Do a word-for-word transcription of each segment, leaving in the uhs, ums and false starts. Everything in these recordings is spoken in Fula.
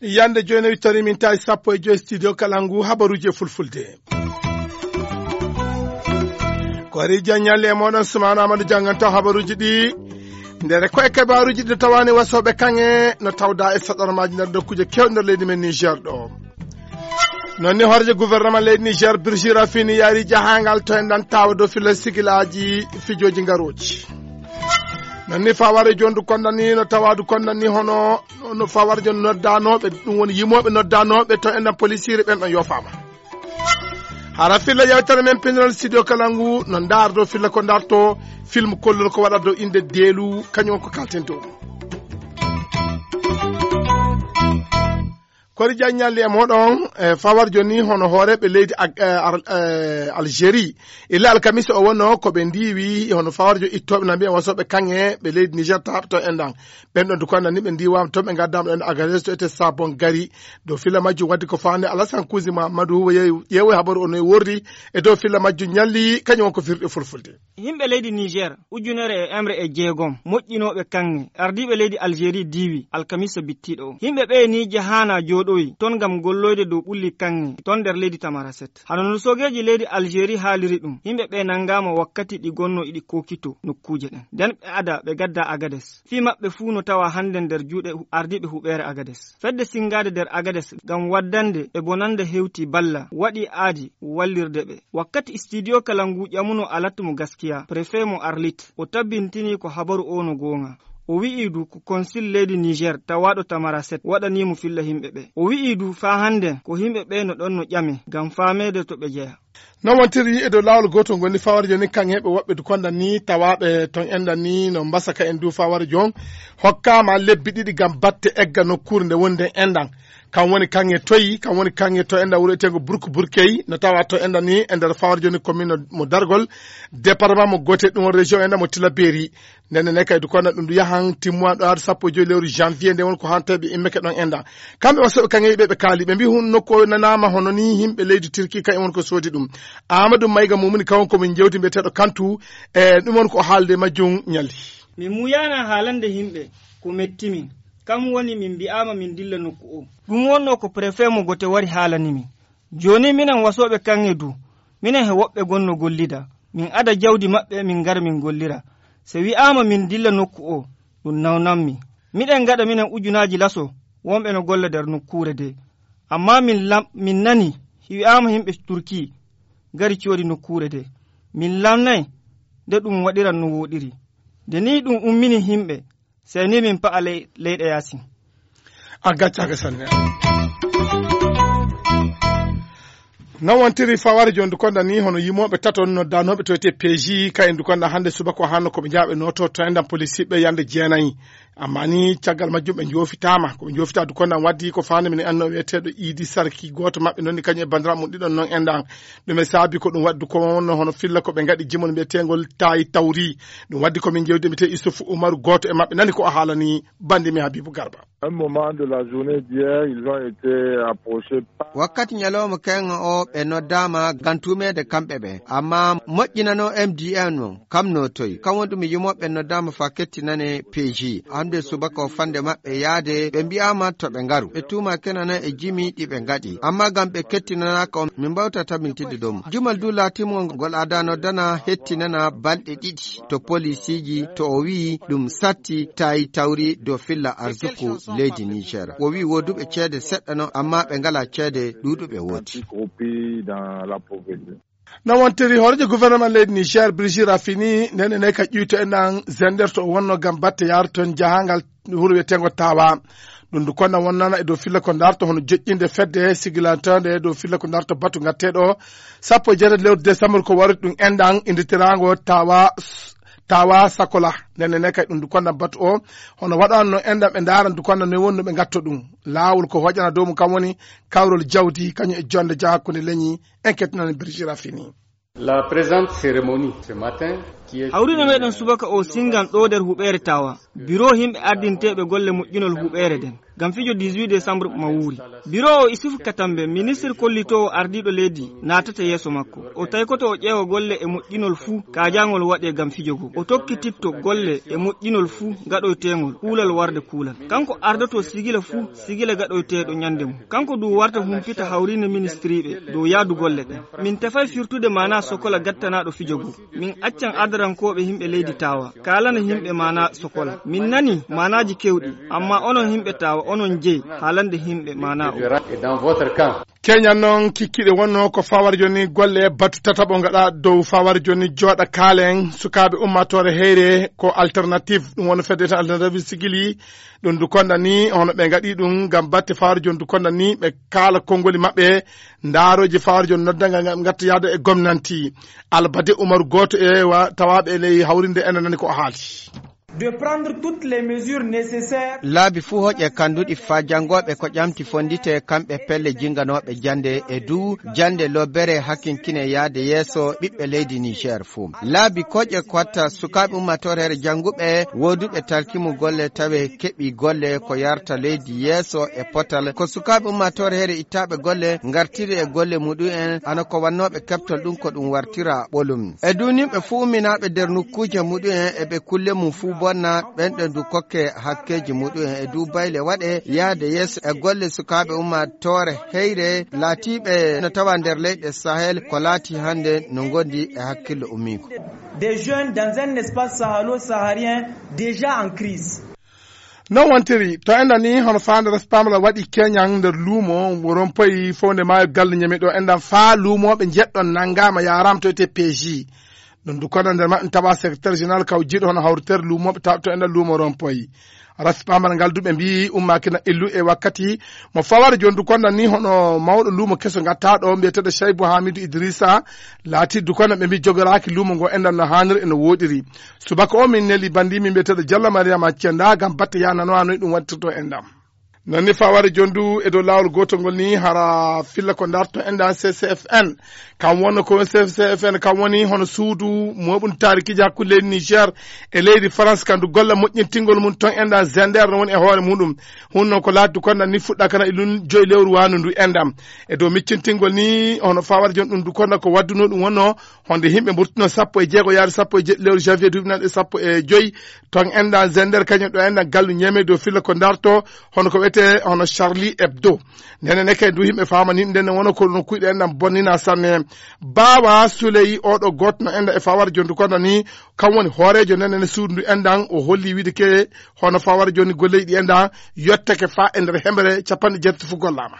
Yande jooni, wittori min tawi sappo e joy studio Kalangu, habaruji e fulfulde. Kori jaññalle e moɗon Sumaana Amadou jannganto habaruji ɗi. Ndere ko e kabaruji ɗi tawani wasoɓe kaŋŋe no tawda e saɗormaji nder dokkuji kewɗi nder leydi men Niger ɗo. Non ni horejo gouvernement leydi Niger, Birji Rafini, yaari jahangal to en ɗan tawa dow filla sigilaji fijoji ngaroji. Non ni faware jondu kondani no tawadu kondani hono no faware jondu noddanoɓe, ɗum woni yimoɓe noddanoɓe to en ɗan polisiri ɓen ɗon yofama. Hara filla yewtere men pindiral studio Kalangu no ndar dow filla ko ndarto film kollol ko waɗa dow inde deelu kañum on ko kalten dow. Kori jaññalli e moɗon, e fawar joni hono hooreɓe leydi Ag-, e, Ar-, e, Algérie. Illa alkamisa o wonno ko ɓe ndiwi hono fawar jo ittoɓe na mbiya wasoɓe kaŋŋe ɓe leydi Niger taɓto en ɗan. Ɓen ɗon dukonda ni ɓe ndiwama to ɓe gaddama ɗon Agadez to ete Sabon Gari. Dow filla majjum waddi ko fande Alassane Kouzi Mamadou yewi, yewi habaru ono e worri e dow filla majjum ñalli kañum on ko firɗe fulfulde. Yimɓe leydi Niger ujunere e emre e jeegom moƴƴinooɓe kaŋŋe ardiiɓe leydi Algérie diiwi alkamisa bittiiɗo o. Yimɓe ɓee ni jahaana jooɗoyi ton ngam golloyde dow ɓulli kaŋŋe ton nder leydi Tamaraset. Hano no sogeeji leydi Algérie haaliri ɗum, yimɓe ɓee nanngaama wakkati ɗi gonno iɗi kookito nokkuuje ɗen. Nden ɓe ada ɓe gadda Agades. Fii maɓɓe fuu no tawa hannde nder juuɗe hu-, ardiiɓe huɓeere Agades. Fedde sinngaade nder Agades ngam waddande e bonannde hewti balla waɗi aadi wallirde ɓe. Wakkati studio Kalangu ƴamuno Alat mo Gaskiya, préfet mo Arlit, o tabbintini ko habaru o no goonga. O wi'i du ko konsil leydi Niger tawaaɗo Tamaraset waɗani mo filla yimɓe ɓe. O wi'i du faa hannde ko yimɓe ɓe no ɗon no ƴame ngam faameede to ɓe jeya. Non wontiri e dow laawol gootol ngoni fawari jooni kaŋŋe ɓe woɓɓe du konda ni tawaaɓe ton enda ni no mbasa ka en du fawari joon hokkaama lebbi ɗiɗi ngam batte egga nokkuure nde woni nden endan. Kam woni kaŋŋe toyi, kam woni kaŋŋe to enda wuro eteengo Burku Burkey, no tawa to enda ni e nder fawar jooni commune mo Dargol, département mo Gote, ɗum woni région enda mo Tilaberi. Nden ne kay du kono ɗum du yahan timmuwa ɗo ar sappo e joyi lewru janvier, nde woni ko hanteɓe immeke ɗon enda. Kamɓe wasoɓe kaŋŋe ɓe ɓe kaali, ɓe mbi hun nokku o nanaama hono ni yimɓe leydi Turki kay woni ko soodi ɗum. Amadou Mayga Mumuni kawon ko min jewti mbiyeteeɗo Kantu, e ɗum woni ko haalde majjum ñalli. Min muyaana haalande yimɓe ko metti min. Kam woni min mbi'aama min dilla nokku o. Ɗum wonno ko préfet mo Gote wari haalani min. Jooni minen wasooɓe kaŋŋe du, minen he woɓɓe gonno gollida. Min ada jawdi maɓɓe min ngara min gollira. Se wi'aama min dilla nokku o, ɗum nawnammi. Miɗen ngaɗa minen ujunaaji laso wonɓe no golla nder nokkuure de. Amma min lam-, min nani wi'aama yimɓe Turki ngari coodi nokkuure de. Min lamnay nde ɗum waɗiran no wooɗiri. Nde nii ɗum ummini yimɓe, sey ni min pa'a ley-, leyɗe yaasin. A gaccaaka sanne. Non wontiri faware jooni du konda ni hono yimooɓe tato noddanooɓe to ete P J ka en du konda hannde subaka o hanno ko ɓe njaaɓe nooto to endan polisiiɓe yande jeenayi. Amma ni caggal majjum ɓe joofitaama. Ko ɓe joofita du konda waddi ko faande min anno wiyeteeɗo Idi Sarki gooto maɓɓe non ni kañum e bandiraɓe mum ɗiɗon non endan. Ɗum e saabi ko ɗum waddu ko wonno hono filla ko ɓe ngaɗi jimol mbiyeteengol Tayi Tawri. Ɗum waddi ko min jewdi mbiyeteeɗo Issoufou Oumarou gooto e maɓɓe nani ko o haalani bandi mi Habibou Garba. Un moment de la journée d'hier, ils ont été approchés par wakkati ñalawma keŋŋo o, ɓe noddaama ngam tuumeede kamɓe ɓe. Amma moƴƴinano M D N on, kam no toyi. Kam woni ɗum yimoɓe noddaama faa kettinane P J. Hannde subaka o fannde maɓɓe yaade, ɓe mbi'aama to ɓe ngaru. Ɓe tuuma kenana e jimi ɗi ɓe ngaɗi. Amma ngam ɓe kettinanaaka on, min mbawta tabintinde dow mum. Jumal du laatimol ngol aada noddana hettinana balɗe ɗiɗi. To polisiiji, to o wi'i ɗum satti Tayi Tawri dow filla arsuku leydi Niger. O wi'i wooduɓe ceede seɗɗa non, amma ɓe ngalaa ceede ɗuuɗuɓe woodi. Dans la pauvreté. No wontiri hooreejo gouvernement leydi Niger, Brigitte Raffini, nden ene ka ƴuyto en ɗan Zender to o wonno ngam batte yaaro ton jahangal wuro wiyetengo Tawa. Ɗum du konna wonnana e dow filla ko darto hono joƴƴinde fedde sigilanteende e dow filla ko darto batu ngatteeɗo o. Sappo e jeetati lewru décembre ko wari ɗum enɗan inditiraango Tawa, Tawa Sakola. Nden ne kay ɗum du konna batu o hono waɗanno enɗan ɓe ndaaran du konna ne wonno ɓe ngatto ɗum. Laawol ko hoƴana dow mum kam woni kawrol jawdi kañum e jonde ja hakkunde leñi. En kettinani Brigitte Raffini. La présente cérémonie ce matin, qui est hawrino meɗen subaka o singan ɗo nder huɓeere Tawa. Biro himɓe ardinteeɓe golle moƴƴinol huɓeere nden. ngam fijo dix-huit décembre ma wuuri. Biro o Isufu Katambe, ministre kollitoowo ardiiɗo leydi, naatata yeeso makko. O taykoto o ƴeewa golle e moƴƴinol fuu, kaajaangol waɗee ngam fijo go. O tokkititto golle e moƴƴinol fuu gaɗoyteeŋol, kuulal warde kuulal. Kanko ardoto sigila fuu, sigila gaɗoyteeɗo ɲande mum. Kanko du warta humpita hawriinde ministiriiɓe dow yaadu golle ɗen. Min tefay firtude maanaa sokola gattanaaɗo fijo go. Min accan adarankooɓe yimɓe leydi Taawa kaalana yimɓe maanaa sokola. Min nanii maanaaji keewɗi, ammaa onon yimɓe Taawa, onon jeyi haalande yimɓe maanaa o. Keñan noon kikkiɗe wonnoo ko fawar jooni golle batu tataɓo ngaɗa dow fawar jooni jooɗa kaalen sukaaɓe ummaatoore heyre ko alternative, ɗum woni fedde tan alternative sigili. Ɗum du konda ni hono ɓe ngaɗi ɗum ngam batte fawar jooni du konda ni ɓe kaala konngoli maɓɓe. Ndaarooji fawar jooni nodda ngam ngatta yaade e gomnanti. Albade Umar gooto e wa-, tawaaɓe e ley hawrinde ene nani ko o haali. De prendre toutes les mesures nécessaires. Laabi fuu hoƴe kannduɗi faa janngooɓe ko ƴamti fonndite kamɓe pelle jinnganooɓe jannde e du jannde lobbere hakkinkine yaade yeeso ɓiɓɓe leydi Niger fuu. Laabi koƴe kotta sukaaɓe ummaatoore heere jannguɓe wooduɓe talkimu golle tawe keɓi golle ko yarta leydi yeeso e potal. Ko sukaaɓe ummaatoore heere ittaaɓe golle ngartiri e golle muɗum en hano ko wannooɓe keɓtol ɗum ko ɗum wartira ɓolum. E du nimɓe fuu umminaaɓe nder nokkuuje muɗum en e ɓe kulle mum fuu bonna, ɓen ɗon du kokke hakkeeji muɗum en e du bayle waɗe yahde yeeso e golle sukaaɓe ummaatoore heyre laatiiɓe no tawa nder leyɗe Sahel ko laati hannde no ngondi e hakkillo ummiiko. Des jeunes dans un espace sahalo-saharien déjà en crise. Non wontiri, to enɗan ni hono faande respamala waɗi keñan nder luumo, rompoyi fowde maayo galle ñami ɗo enɗan faa luumooɓe njeɗɗon nanngaama yaaraama to etee P J. Ɗum du kono nder maɓɓe tawa secrétaire général kaw jiiɗo hono hawritere luumooɓe taw to enɗan luumo rompoyi. Respamala ngal du ɓe mbii ummaaki na illu e wakkati mo faware jooni du kono ni hono mawɗo luumo keso ngatta ɗo mbiyeteeɗo Chaybu Hamidu Idrissa laati du kono ɓe mbii jogoraaki luumo ngo enɗan no haaniri e no wooɗiri. Subaka o min neli bandi min mbiyeteeɗo Jalla Mariama Cenda ngam batte yanano hanoy ɗum wattirto enɗan. Non ni faware jooni du e dow laawol gootol ngol ni hara filla ko darto enɗan C C F N. Kam wonno ko C C F N kam woni hono suudu moɓun taarikiji hakkunde leydi Niger e leydi France kandu golle moƴƴintingol mum ton enɗan Zender no woni e hoore muɗum. Hunno ko laatdu konda ni fuɗɗa kana e lun joyi lewru wanu ndu enɗan. E dow miccintingol ni hono faware jooni ɗum du konda ko wadduno ɗum wonno honde yimɓe mburtuno sappo e jeego yaade sappo e jeɗɗi lewru janvier duuɓi naɗe sappo e joyi ton enɗan Zender kañum ɗo enɗan gallu ñeme dow filla ko darto hono ko wiyetee hono Charlie Hebdo. Ndene ne kay du yimɓe famani ndene wona ko ɗum kuyɗe enɗan bonnina sanne. Bawa Souley oɗo goto no enɗan e fawar jooni du kono ni kam woni hooreejo ndene ne suudu ndu enɗan o holli wiide ke hono fawar jooni golleji ɗi enɗan yottake fa e nder hemere capanɗe jeetati fu gollama.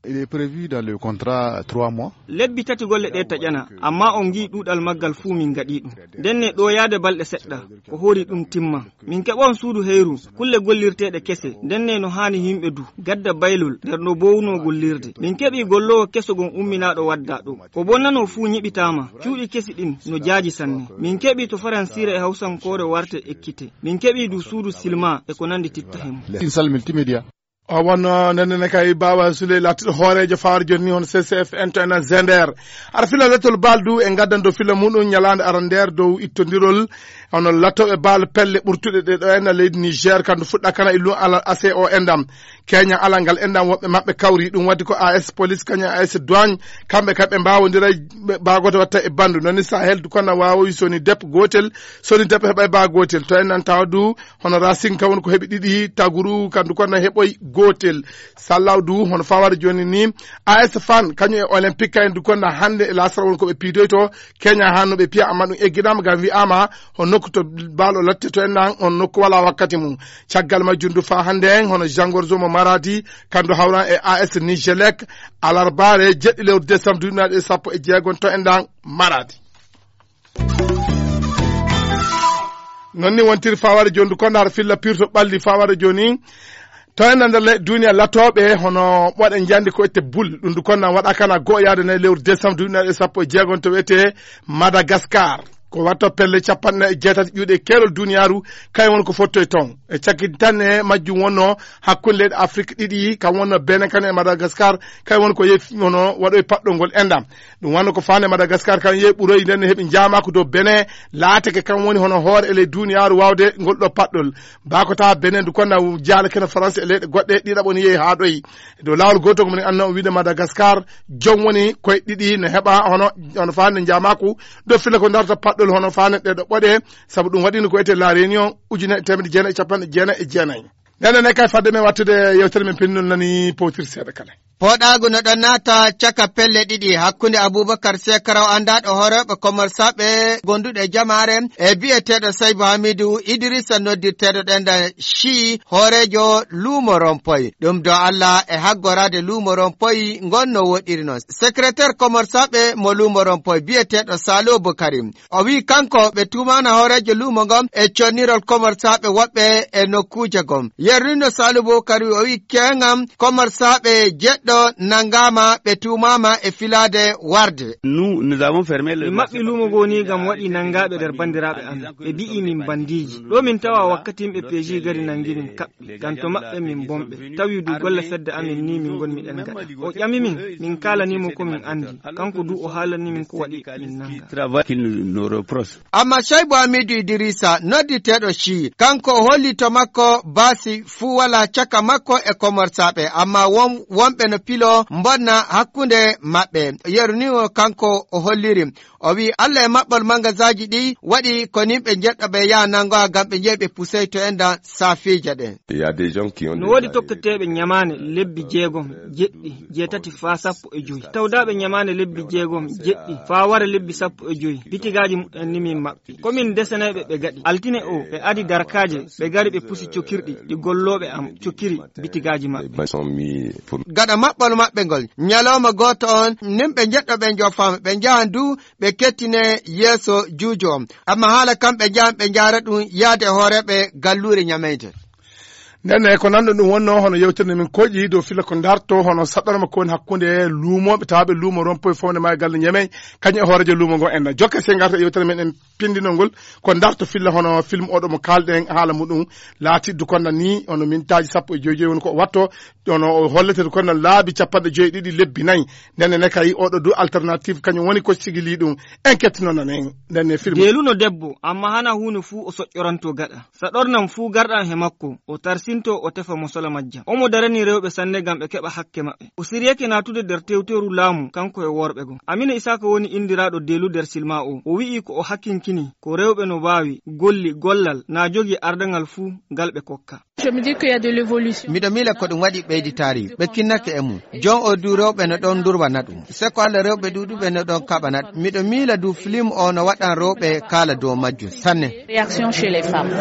Il est prévu dans le contrat trois mois. Lebbi tati golle ɗe taƴana, amma on ngi ɗuɗal maggal fuu min ngaɗi ɗum. Ndenne ɗo yaade balɗe seɗɗa, ko hori ɗum timma. Min keɓon suudu heyru, kulle gollirteeɗe kese, ndenne no haani yimɓe du, gadda baylol nder no bowno gollirde. Min keɓi golloowo keso gon umminaaɗo wadda ɗo. Ko bonnano fuu ñiɓitaama, cuuɗi kesi ɗin no jaaji sanne. Min keɓi to faransiire e hawsankoore warte ekkite. Min keɓi du suudu silma e ko nandi titta hemo. Une salle multimédia. O wonno ndenne kay Bawa Souley laatiɗo hooreejo fawar jooni ni hono C C F N to enen Zender. Ara fila lettol baldu e gaddan dow fila muɗum ñalaande arandeer dow ittondirol hono lattoɓe bal pelle ɓurtuɗe ɗe ɗo enɗan leydi Niger kandu fuɗɗa kana e lun alal A C O enɗan. Keña alal ngal enɗan woɓɓe maɓɓe kawri ɗum waddi ko A S police kañum A S douane kamɓe kam ɓe mbawodira baagoto watta e bandu noni Sahel du kono wawoyi soni dep gotel soni dep heɓay ba gotel to enɗan tawa du hono Racing kam woni ko heɓi ɗiɗi taguru kandu kono heɓoy gotel. Sallaw du hono faware jooni ni A S Fan kañum e Olympique kayen du kono hannde e lasara woni ko ɓe piidoyto keña hanno ɓe piya amma ɗum egginama ngam wi'ama ho nokku to balo latte to enɗan on nokku wala wakkati mum. Caggal majjum du fa hannde en hono jangorzo mo Maradi kandu hawran e A S Nigelec alarbare jeɗɗi lewru décembre duuɓi e sappo e jeegom to enɗan Maradi. Non ni wontiri faware jooni du kono har filla pirto ɓalli faware jooni to enɗan nder le- duniya latoɓe hono ɓoɗe njandi ko ette bul ɗum du kono waɗa kana go yaade nayi lewru décembre duuɓi e sappo e jeegom to wiyete Madagascar. Ko waɗto pelle capanɗe jeetati ƴuuɗe keerol duniyaaru, kañum woni ko fottoyi toon. E cakkitanɗe majjum wonnoo hakkunde leyɗe Afrik ɗiɗi, kam wonnoo Benin kan e Madagaskar, kañum woni ko yehi hono waɗoyi paɗɗol ngol enɗam. Ɗum wonnoo ko faande Madagaskar, kam yehi ɓuroyi nden no heɓi njaamaaku dow Benin, laatake kam woni hono hoore e ley duniyaaru waawde ngol ɗo paɗɗol. Baa ko tawa Benin du konna jaale kene France e leyɗe goɗɗe ɗiɗaɓo ni yehi haa ɗoyi. E dow laawol gootol ko moni anno wiide Madagaskar, jom woni koye ɗiɗi no heɓa hono, hono faande njaamaaku, ɗo filla ko darta paɗɗol hono faande ɗe ɗo ɓoɗe, sabu ɗum waɗino ko wiyetee La Réunion, ujunere e teemedde jeenayi e capanɗe jeenayi e jeenayi. Nden ne kay fadde men wattude yewtere men pinndol nani powtir seeɗa kala. Pooɗaagu no ɗon naata caka pelle ɗiɗi hakkunde Abubakar Sekaraw, anndaaɗo hooreeɓe komersaaɓe gonduɗo e jamaare, e biyeteeɗo Saybu Hamidu Idrisa, noddirteeɗo ɗenda Shi, hooreejo luumo Rompoy. Ɗum do Allah e haggoraade luumo Rompoy ngon no woɗɗiri non. Sekreteer komersaaɓe mo luumo Rompoy biyeteeɗo Salo Bukari, o wi'i kanko ɓe tuumaana hooreejo luumo ngon e connirol komersaaɓe woɓɓe e nokkuuje gom. Yerlino Salo Bukari o wi'i keeŋam komersaaɓe jeɗɗo nanngaama ɓe tuumaama e filaade warde. Nous, nous avons fermé le Min maɓɓi luumo ngoo nii ngam waɗi nanngaaɓe nder banndiraaɓe amin. Ɓe mbi'i min banndiiji. Ɗo min tawa wakkati yimɓe P J gari nanngi min kaɓɓi. Ngam to maɓɓe min bonɓe. Tawi du golle fedde amin nii min ngonmi ɗen gaɗa. O ƴami min, min kaalanii mo ko min anndi. Kanko du o haalanii min ko waɗi min nannga. Travail qu'il nous, nous reproche. Amma Shaibu Hamidu Idrisa, nodditeeɗo Shi, kanko o holli to makko baasi fuu walaa caka makko e komersaaɓe, amma won-, wonɓe no pilo mbonna hakkunde maɓɓe. Yeru ni o kanko o holliri. O wi'i Allah e maɓɓol mangazaaji ɗi waɗi ko nimɓe njeɗɗo ɓe yaha nanngoya ngam ɓe njehi ɓe pusey to enɗan saafiija ɗen. Il y a des gens qui ont No déjà woodi tokketeeɓe ñamaane lebbi jeegom, jeɗɗi, jeetati faa sappo e joy. Tawdaaɓe ñamaane lebbi jeegom, jeɗɗi, faa wara lebbi sappo e joy. Bitigaaji muɓɓen ni min maɓɓi. Ko min desanayɓe ɓe gaɗi. Altine o, ɓe adi darkaaje, ɓe gari ɓe pusi cokirɗi, ɗi gollooɓe am cokiri bitigaaji maɓɓe. Gaɗa maɓɓol maɓɓe ngol, ñalawma gooto on, nimɓe njeɗɗo ɓe njofaama, ɓe njahan du, ɓe kettine yeeso juujo on. Amma haala kam ɓe njahan, ɓe njaara ɗum yaade e hooreeɓe galluure ñameyde. Nden ne ko nanɗo ɗum wonnoo hono yewtere nde min koƴi dow filla ko darto hono saɗɗorma ko woni hakkunde luumooɓe tawaaɓe luumo Rompoy fowne maa e galle Ñamey, kañum e hooreejo luumo ngo en. Jokke sey ngarta e yewtere men en pindinol ngol, ko darto filla hono film oɗo mo kaalɗen haala muɗum, laatiddu konna ni hono mintaaji sappo e joy joy woni ko o watto, hono o hollete konna laabi capanɗe joy e ɗiɗi lebbi nayi. Nden ne kay oɗo du alternative kañum woni ko sigili ɗum. En kettino nanen nden ne film. Deeluno debbo, amma hana huunde fuu o soƴƴoranto gaɗa. Saɗornam fuu garɗam he makko, o tarsinto, o tefa mo sola majjam. Omo darani rewɓe sanne ngam ɓe keɓa hakke maɓɓe. O siryake naatude nder tewteeru laamu, kanko e worɓe goo. Amina Isaaka woni inndiraaɗo Deelu nder silma o. O wi'i ko o hakinkini, ko rewɓe no mbaawi, golli, gollal, na jogii ardaŋal fuu ngal ɓe kokka. Je me dis qu'il y a de l'évolution. Miɗo miila ko ɗum waɗi ɓeyditaari, ɓe kinnake e mum. Jon o du rewɓe no ɗon ndurwana ɗum. Seko Allah rewɓe ɗuuɗuɓe no ɗon kaɓana ɗum. Miɗo miila du film o no waɗan rewɓe kaala dow majjum sanne. Réaction chez les femmes.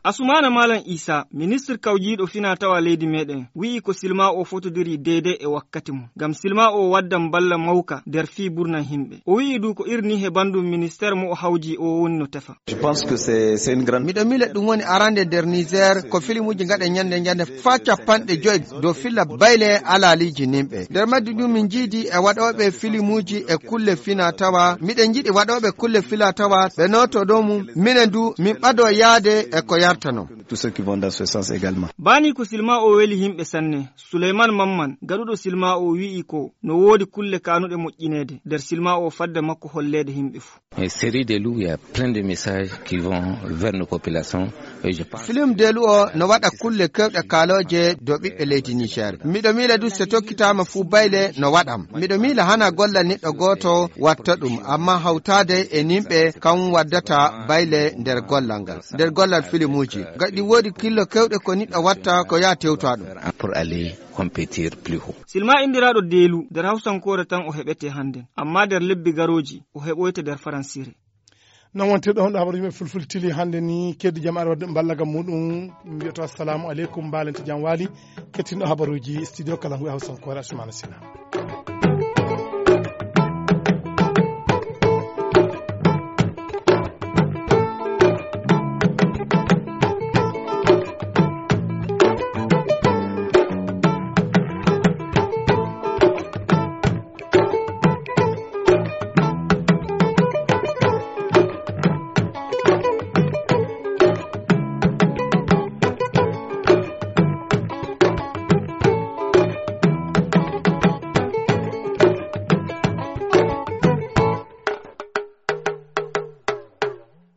Asumaana Malam Isa, ministre kawjiiɗo fina tawa leydi meɗen, wi'i ko silma o fotodiri deydey e wakkati mum. Ngam silma o waddan balla mawka nder fii burnan himɓe. O wi'i du ko irni he banndum ministère mo o hawji o woni no tefa. Je pense que c'est, c'est une grande Miɗo miila ɗum woni arande nder Niger, ko filimuuji ngaɗe ñande ñande faa capanɗe joy dow filla bayle alaaliji nimɓe. Nder majji ɗum min njiidi e waɗooɓe filimuuji e kulle fina tawa. Miɗen njiɗi waɗooɓe kulle fila tawa ɓe nooto dow mum. Minen du min ɓado yaade e ko yartano. Tous ceux qui vont dans ce sens également. Baani ko silma o weli himɓe sanne. Suleyman Mamman, gaɗuɗo silma o wi'i ko no woodi kulle kaanuɗe moƴƴineede nder silma o fadde makko holleede himɓe fuu. Une série de loups, il y a plein de messages qui vont vers nos populations. Et je pense Film Deelu o no waɗa kulle kewɗe kaalooje dow ɓiɓɓe leydi Niger. Miɗo miila du so tokkitaama fuu bayle no waɗam. Miɗo miila hana gollal neɗɗo gooto watta ɗum, amma hawtaade e nimɓe kam waddata bayle nder gollal ngal. Nder gollal filimuuji. Gaɗi woodi killo kewɗe ko neɗɗo watta ko yaa tewta ɗum. Pour aller compétir plus haut. Silma inndiraaɗo Deelu, nder Hawsankoore tan o heɓetee hannden, ammaa nder lebbi garooji, o heɓoyte nder Faransiire. Non wonti ɗo honɗo habaruuji men fulfulde tili hannde ni, keddi jam ara wadde ballagam muɗum, mbiyata assalamu aleykum, mbaalente jam waali, kettinɗo habaruuji studio kala ngu e Hawsankoore Asumana Sina.